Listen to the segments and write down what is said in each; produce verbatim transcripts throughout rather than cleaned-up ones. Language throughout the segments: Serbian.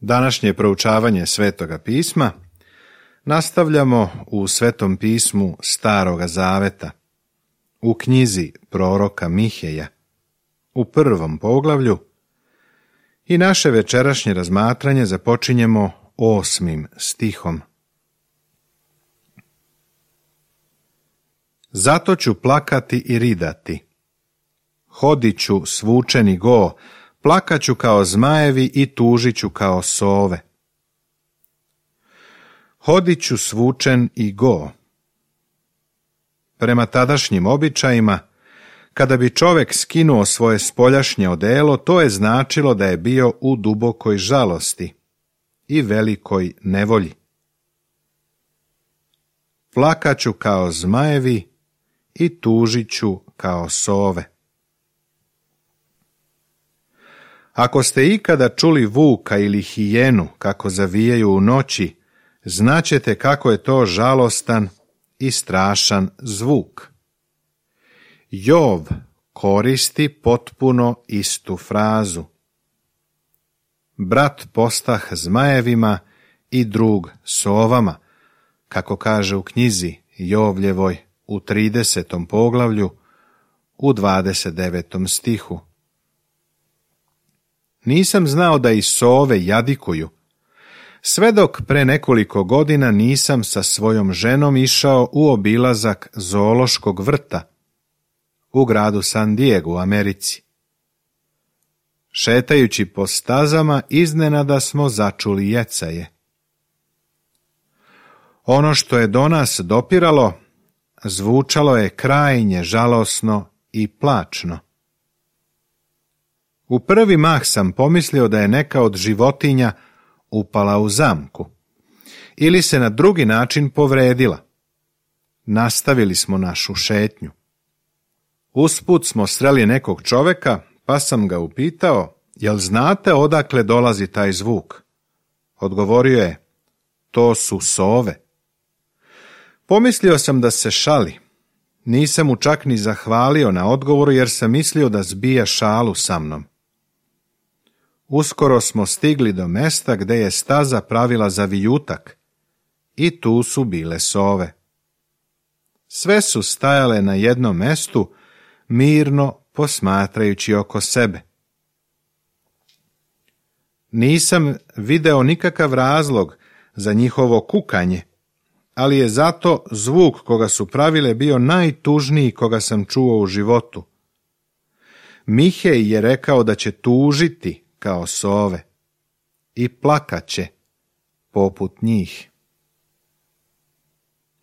Današnje proučavanje Svetoga pisma nastavljamo u Svetom pismu Staroga Zaveta, u knjizi proroka Miheja, u prvom poglavlju, i naše večerašnje razmatranje započinjemo osmim stihom. Zato ću plakati i ridati, hodit ću svučeni go, plakaću kao zmajevi i tužit ću kao sove. Hodit ću svučen i go. Prema tadašnjim običajima, kada bi čovjek skinuo svoje spoljašnje odelo, to je značilo da je bio u dubokoj žalosti i velikoj nevolji. Plakaću kao zmajevi i tužit ću kao sove. Ako ste ikada čuli vuka ili hijenu kako zavijaju u noći, znaćete kako je to žalostan i strašan zvuk. Jov koristi potpuno istu frazu. Brat postah zmajevima i drug sovama, kako kaže u knjizi Jovljevoj u tridesetom poglavlju u dvadeset devetom stihu. Nisam znao da i sove jadikuju, sve dok pre nekoliko godina nisam sa svojom ženom išao u obilazak zoološkog vrta u gradu San Diego u Americi. Šetajući po stazama, iznenada smo začuli jecaje. Ono što je do nas dopiralo, zvučalo je krajnje žalosno i plačno. U prvi mah sam pomislio da je neka od životinja upala u zamku ili se na drugi način povredila. Nastavili smo našu šetnju. Usput smo sreli nekog čoveka, pa sam ga upitao, jel znate odakle dolazi taj zvuk? Odgovorio je, to su sove. Pomislio sam da se šali. Nisam mu čak ni zahvalio na odgovoru jer sam mislio da zbija šalu sa mnom. Uskoro smo stigli do mesta gde je staza pravila za vijutak i tu su bile sove. Sve su stajale na jednom mestu, mirno posmatrajući oko sebe. Nisam video nikakav razlog za njihovo kukanje, ali je zato zvuk koga su pravile bio najtužniji koga sam čuo u životu. Mihej je rekao da će tužiti kao sove i plakaće poput njih.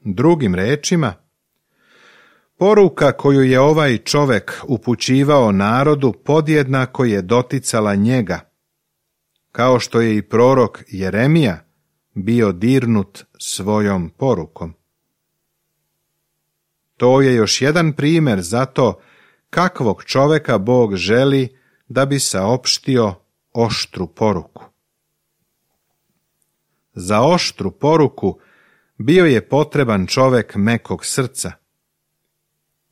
Drugim rečima, poruka koju je ovaj čovek upućivao narodu podjednako je doticala njega, kao što je i prorok Jeremija bio dirnut svojom porukom. To je još jedan primjer za to kakvog čoveka Bog želi da bi saopštio oštru poruku. Za oštru poruku bio je potreban čovek mekog srca.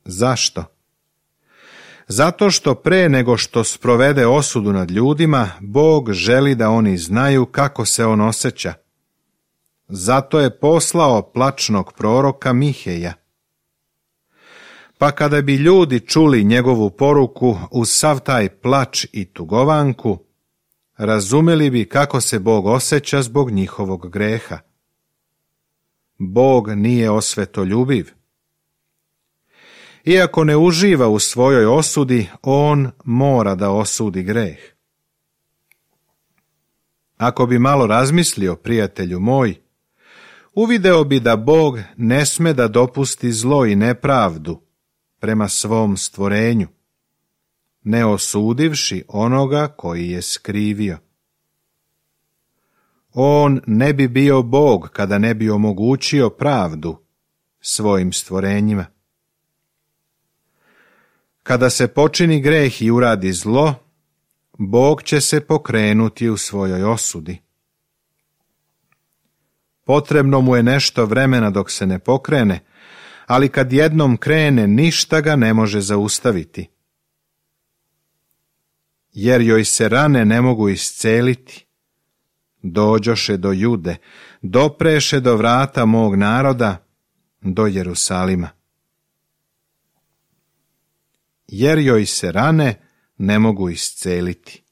Zašto? Zato što pre nego što sprovede osudu nad ljudima, Bog želi da oni znaju kako se on osjeća. Zato je poslao plačnog proroka Miheja. Pa kada bi ljudi čuli njegovu poruku uz sav taj plač i tugovanku, razumeli bi kako se Bog osjeća zbog njihovog greha. Bog nije osvetoljubiv. Iako ne uživa u svojoj osudi, on mora da osudi greh. Ako bi malo razmislio, prijatelju moj, uvideo bi da Bog ne sme da dopusti zlo i nepravdu prema svom stvorenju, ne osudivši onoga koji je skrivio. On ne bi bio Bog kada ne bi omogućio pravdu svojim stvorenjima. Kada se počini greh i uradi zlo, Bog će se pokrenuti u svojoj osudi. Potrebno mu je nešto vremena dok se ne pokrene, ali kad jednom krene, ništa ga ne može zaustaviti. Jer joj se rane ne mogu isceliti, dođoše do Jude, dopreše do vrata mog naroda, do Jerusalima. Jer joj se rane ne mogu isceliti.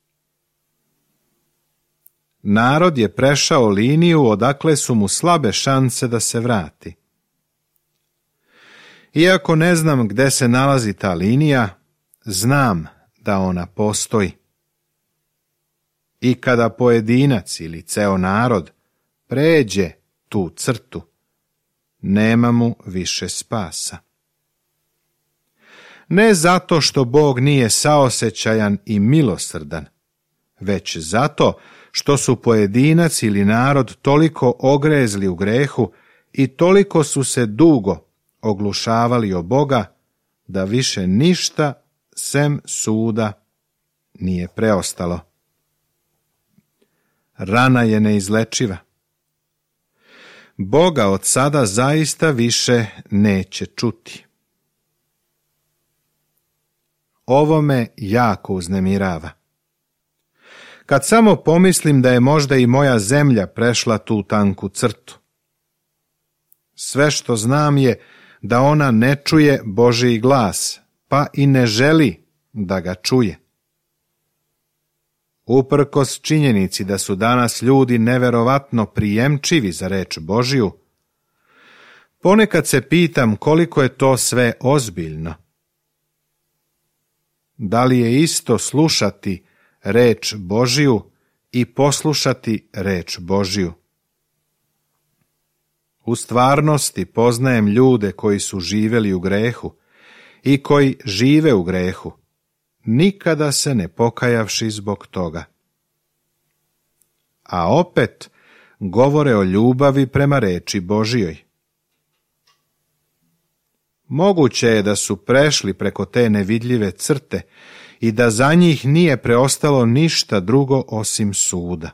Narod je prešao liniju odakle su mu slabe šanse da se vrati. Iako ne znam gde se nalazi ta linija, znam da ona postoji. I kada pojedinac ili ceo narod pređe tu crtu, nema mu više spasa. Ne zato što Bog nije saosećajan i milosrdan, već zato što su pojedinac ili narod toliko ogrezli u grehu i toliko su se dugo oglušavali o Boga, da više ništa sem suda nije preostalo. Rana je neizlečiva. Boga od sada zaista više neće čuti. Ovo me jako uznemirava. Kad samo pomislim da je možda i moja zemlja prešla tu tanku crtu. Sve što znam je da ona ne čuje Božji glas, pa i ne želi da ga čuje. Uprkos činjenici da su danas ljudi neverovatno prijemčivi za reč Božju, ponekad se pitam koliko je to sve ozbiljno. Da li je isto slušati reč Božju i poslušati reč Božju? U stvarnosti poznajem ljude koji su živjeli u grehu i koji žive u grehu, nikada se ne pokajavši zbog toga. A opet govore o ljubavi prema reči Božjoj. Moguće je da su prešli preko te nevidljive crte i da za njih nije preostalo ništa drugo osim suda.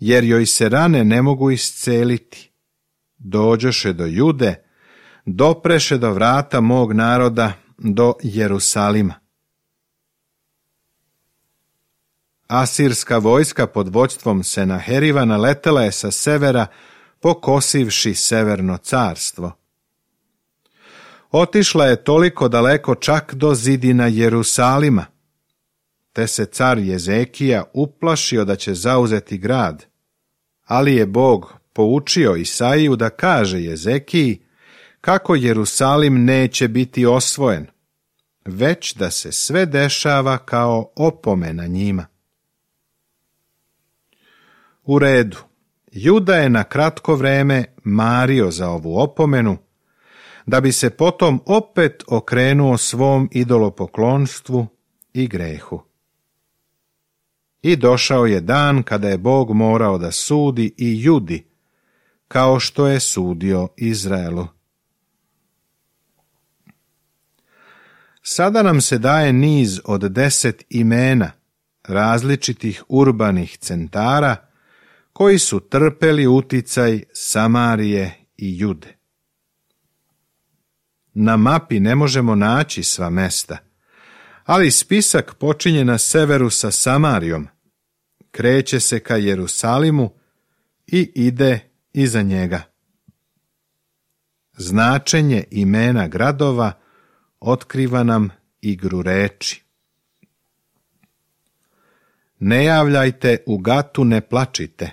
Jer joj se rane ne mogu isceliti, dođoše do Jude, dopreše do vrata mog naroda, do Jerusalima. Asirska vojska pod vođstvom Senaheriva naletela je sa severa, pokosivši severno carstvo. Otišla je toliko daleko čak do zidina Jerusalima, te se car Jezekija uplašio da će zauzeti grad, ali je Bog poučio Isaiju da kaže Jezekiji kako Jerusalim neće biti osvojen, već da se sve dešava kao opomena njima. U redu, Juda je na kratko vreme mario za ovu opomenu, da bi se potom opet okrenuo svom idolopoklonstvu i grehu. I došao je dan kada je Bog morao da sudi i Judi, kao što je sudio Izraelu. Sada nam se daje niz od deset imena različitih urbanih centara koji su trpeli uticaj Samarije i Jude. Na mapi ne možemo naći sva mesta, ali spisak počinje na severu sa Samarijom, kreće se ka Jerusalimu i ide iza njega. Značenje imena gradova otkriva nam igru reči. Ne javljajte u Gatu, ne plačite,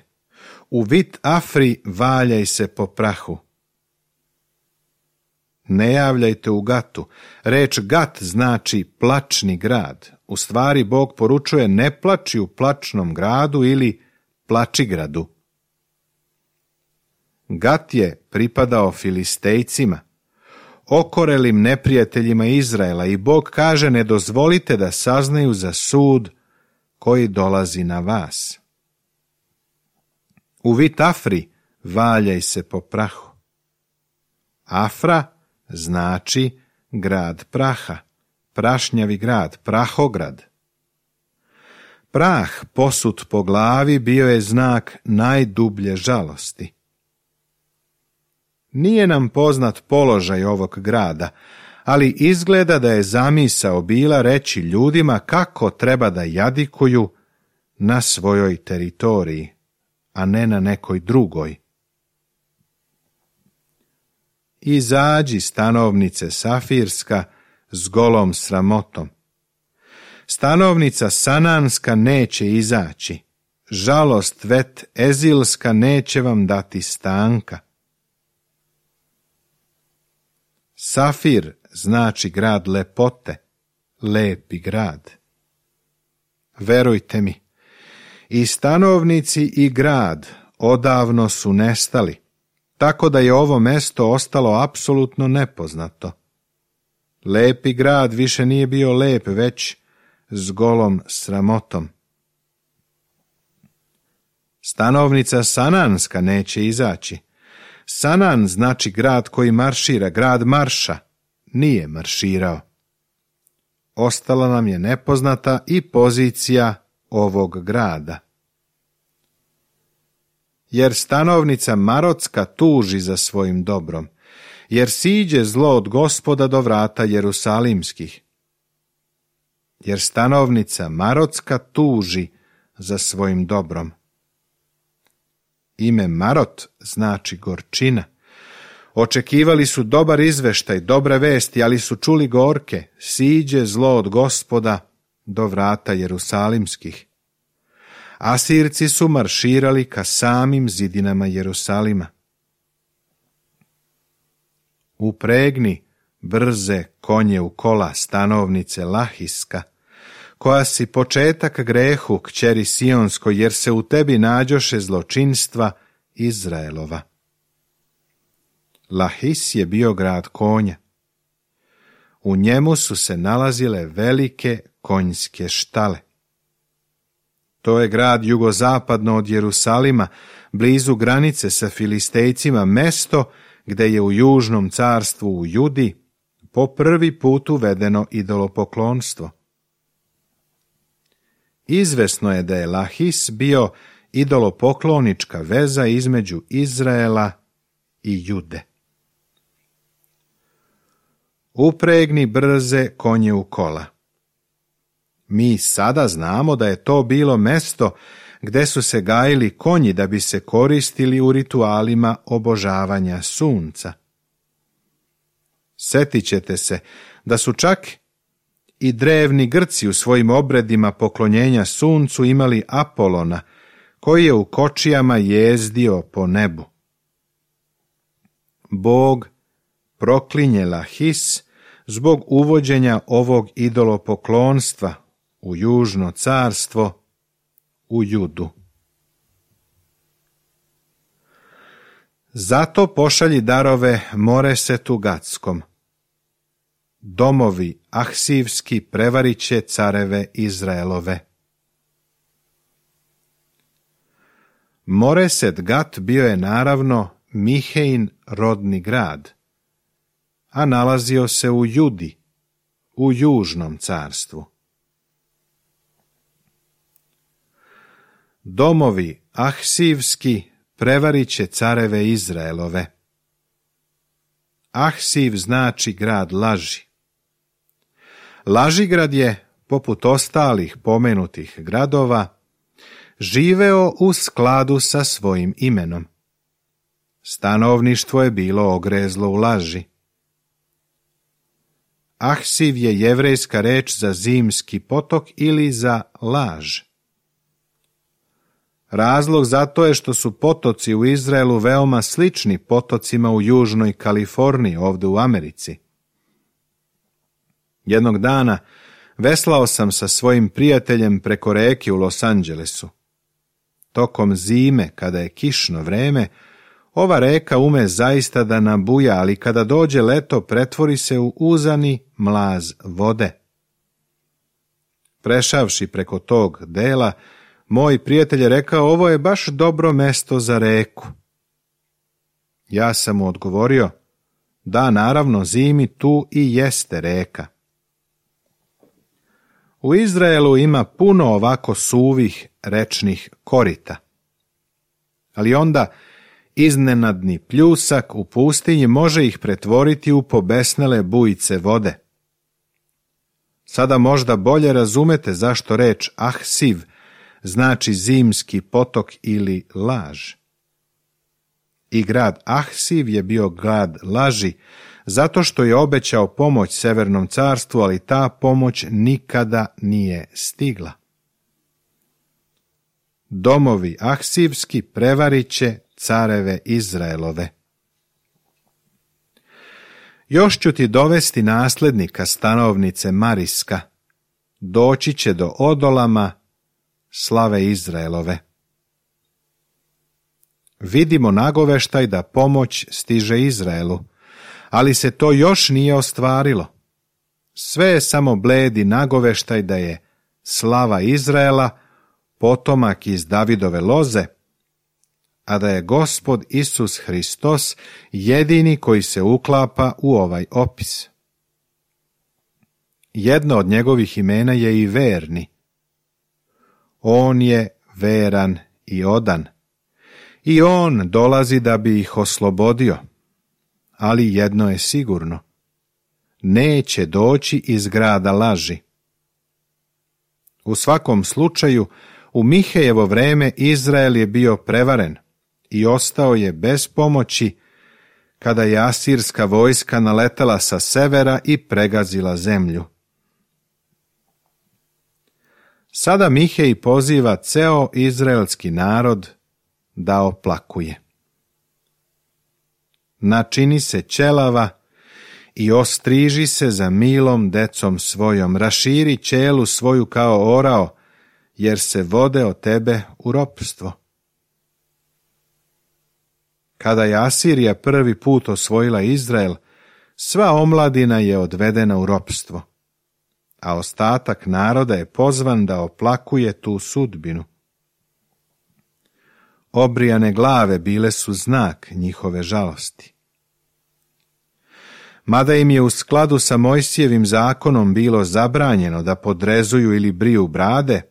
u Vit Afri valjaj se po prahu. Ne javljajte u Gatu. Reč Gat znači plačni grad. U stvari Bog poručuje ne plači u plačnom gradu ili plačigradu. Gat je pripadao Filistejcima, okorelim neprijateljima Izraela, i Bog kaže ne dozvolite da saznaju za sud koji dolazi na vas. U Vit Afri valjaj se po prahu. Afra znači grad praha, prašnjavi grad, prahograd. Prah posut po glavi bio je znak najdublje žalosti. Nije nam poznat položaj ovog grada, ali izgleda da je zamisao bila reći ljudima kako treba da jadikuju na svojoj teritoriji, a ne na nekoj drugoj. Izađi, stanovnice Safirska, s golom sramotom. Stanovnica Sananska neće izaći, žalost vet Ezilska neće vam dati stanka. Safir znači grad lepote, lepi grad. Verujte mi, i stanovnici i grad odavno su nestali, tako da je ovo mesto ostalo apsolutno nepoznato. Lepi grad više nije bio lep, već s golom sramotom. Stanovnica Sananska neće izaći. Sanan znači grad koji maršira, grad marša. Nije marširao. Ostala nam je nepoznata i pozicija ovog grada. Jer stanovnica Marotska tuži za svojim dobrom, jer siđe zlo od Gospoda do vrata Jerusalimskih. Jer stanovnica Marotska tuži za svojim dobrom. Ime Marot znači gorčina. Očekivali su dobar izveštaj, dobre vesti, ali su čuli gorke, siđe zlo od Gospoda do vrata Jerusalimskih. Asirci su marširali ka samim zidinama Jerusalima. Upregni brze konje u kola, stanovnice Lahiska, koja si početak grehu, kćeri Sionskoj, jer se u tebi nađoše zločinstva Izraelova. Lahis je bio grad konja. U njemu su se nalazile velike konjske štale. To je grad jugozapadno od Jerusalima, blizu granice sa Filistejcima, mesto gde je u južnom carstvu u Judi po prvi put uvedeno idolopoklonstvo. Izvesno je da je Lahis bio idolopoklonička veza između Izraela i Jude. Upregni brze konje u kola. Mi sada znamo da je to bilo mesto gde su se gajili konji da bi se koristili u ritualima obožavanja sunca. Setit ćete se da su čak i drevni Grci u svojim obredima poklonjenja suncu imali Apolona, koji je u kočijama jezdio po nebu. Bog proklinje Lahis zbog uvođenja ovog idolopoklonstva u južno carstvo, u Judu. Zato pošalji darove Moresetu Gatskom. Domovi Ahsivski prevariće careve Izraelove. Moreset Gat bio je naravno Mihein rodni grad, a nalazio se u Judi, u južnom carstvu. Domovi Ahsivski prevariće careve Izraelove. Ahsiv znači grad laži. Lažigrad je, poput ostalih pomenutih gradova, živeo u skladu sa svojim imenom. Stanovništvo je bilo ogrezlo u laži. Ahsiv je jevrejska reč za zimski potok ili za laž. Razlog za to je što su potoci u Izraelu veoma slični potocima u južnoj Kaliforniji, ovdje u Americi. Jednog dana veslao sam sa svojim prijateljem preko reke u Los Angelesu. Tokom zime, kada je kišno vreme, ova reka ume zaista da nabuja, ali kada dođe leto pretvori se u uzani mlaz vode. Prešavši preko tog dela, moj prijatelj je rekao, ovo je baš dobro mesto za reku. Ja sam mu odgovorio, da, naravno, zimi tu i jeste reka. U Izraelu ima puno ovako suvih rečnih korita. Ali onda Iznenadni pljusak u pustinji može ih pretvoriti u pobesnele bujice vode. Sada možda bolje razumete zašto reč Ahsiv znači zimski potok ili laž. I grad Ahsiv je bio grad laži, zato što je obećao pomoć Severnom carstvu, ali ta pomoć nikada nije stigla. Domovi Ahsivski prevarit će careve Izraelove. Još ću ti dovesti naslednika stanovnice Mariska, doći će do Odolama, slave Izraelove. Vidimo nagoveštaj da pomoć stiže Izraelu, ali se to još nije ostvarilo. Sve je samo bledi nagoveštaj da je slava Izraela potomak iz Davidove loze, a da je Gospod Isus Hristos jedini koji se uklapa u ovaj opis. Jedno od njegovih imena je i verni. On je veran i odan. I on dolazi da bi ih oslobodio. Ali jedno je sigurno. Neće doći iz grada laži. U svakom slučaju, u Mihejevo vreme Izrael je bio prevaren i ostao je bez pomoći kada je asirska vojska naletela sa severa i pregazila zemlju. Sada Mihej poziva ceo izraelski narod da oplakuje. Načini se ćelava i ostriži se za milom decom svojom, raširi ćelu svoju kao orao, jer se vode od tebe u ropstvo. Kada je Asirija prvi put osvojila Izrael, sva omladina je odvedena u ropstvo, a ostatak naroda je pozvan da oplakuje tu sudbinu. Obrijane glave bile su znak njihove žalosti. Mada im je u skladu sa Mojsijevim zakonom bilo zabranjeno da podrezuju ili briju brade,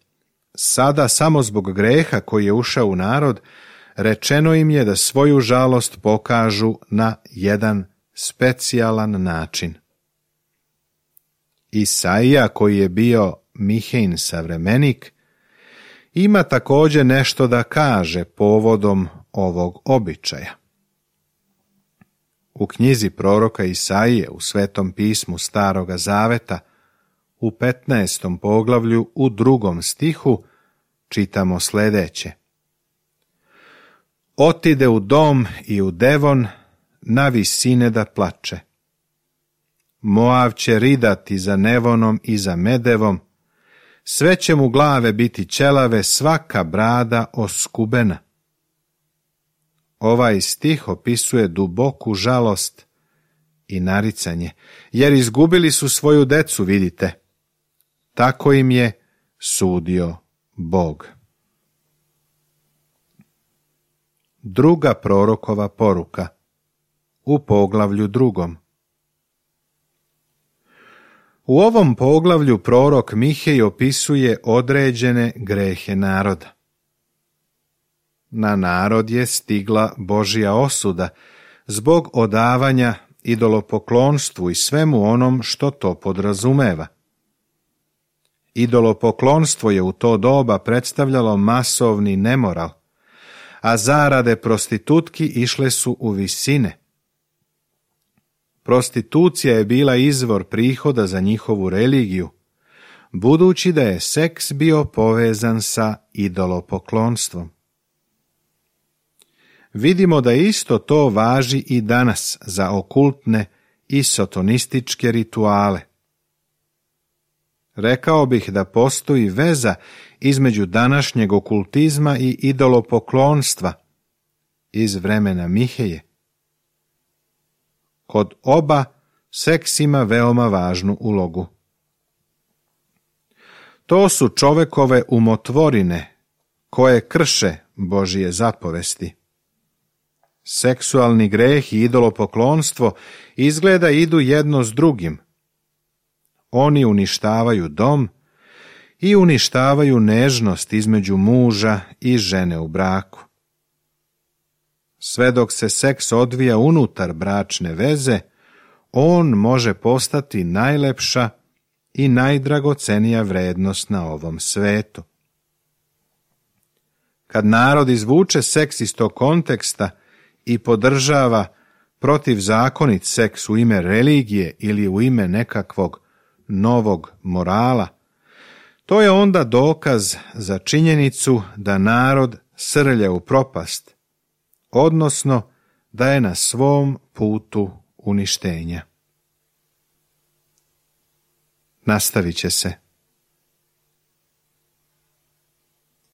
sada samo zbog greha koji je ušao u narod, rečeno im je da svoju žalost pokažu na jedan specijalan način. Isaija, koji je bio Mihejin savremenik, ima također nešto da kaže povodom ovog običaja. U knjizi proroka Isaije u Svetom pismu Staroga Zaveta u petnaestom poglavlju u drugom stihu čitamo sljedeće. Otide u dom i u Devon na visine da plače. Moav će ridati za Nevonom i za Medevom, sve će mu glave biti ćelave, svaka brada oskubena. Ovaj stih opisuje duboku žalost i naricanje, jer izgubili su svoju decu, vidite. Tako im je sudio Bog. Druga prorokova poruka u poglavlju drugom. U ovom poglavlju prorok Mihej opisuje određene grehe naroda. Na narod je stigla Božja osuda zbog odavanja idolopoklonstvu i svemu onom što to podrazumeva. Idolopoklonstvo je u to doba predstavljalo masovni nemoral, a zarade prostitutki išle su u visine. Prostitucija je bila izvor prihoda za njihovu religiju, budući da je seks bio povezan sa idolopoklonstvom. Vidimo da isto to važi i danas za okultne i sotonističke rituale. Rekao bih da postoji veza između današnjeg okultizma i idolopoklonstva iz vremena Miheje. Kod oba seks ima veoma važnu ulogu. To su čovekove umotvorine koje krše Božije zapovesti. Seksualni greh i idolopoklonstvo izgleda idu jedno s drugim. Oni uništavaju dom i uništavaju nežnost između muža i žene u braku. sve dok se seks odvija unutar bračne veze, on može postati najlepša i najdragocenija vrednost na ovom svetu. Kad narod izvuče seks iz tog konteksta i podržava protivzakonit seks u ime religije ili u ime nekakvog novog morala, to je onda dokaz za činjenicu da narod srlja u propast, odnosno da je na svom putu uništenja. Nastavit će se.